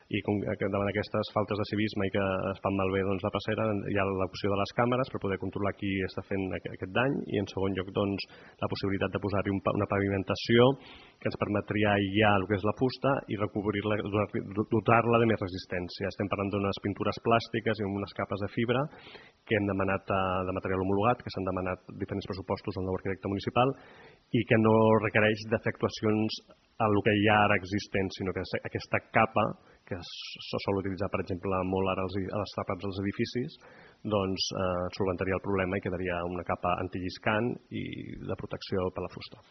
i davant d'aquestes faltes de civisme i que es fan malbé la passera, hi ha l'opció de les càmeres per poder controlar qui està fent aquest dany, i en segon lloc la possibilitat de posar-hi una pavimentació que ens permetria aïllar el que és la fusta i recobrir-la, dotar-la de més resistència. Estem parlant d'unes pintures plàstiques i amb unes capes de fibra que hem demanat de material homologat, que s'han demanat diferents pressupostos al nou arquitecte municipal i que no requereix de fer actuacions a el que hi ha ara existent, sinó que aquesta capa que se sol utilitzar, per exemple, molt ara a les tapes dels edificis, doncs solventaria el problema i quedaria una capa antilliscant i de protecció per la fusta.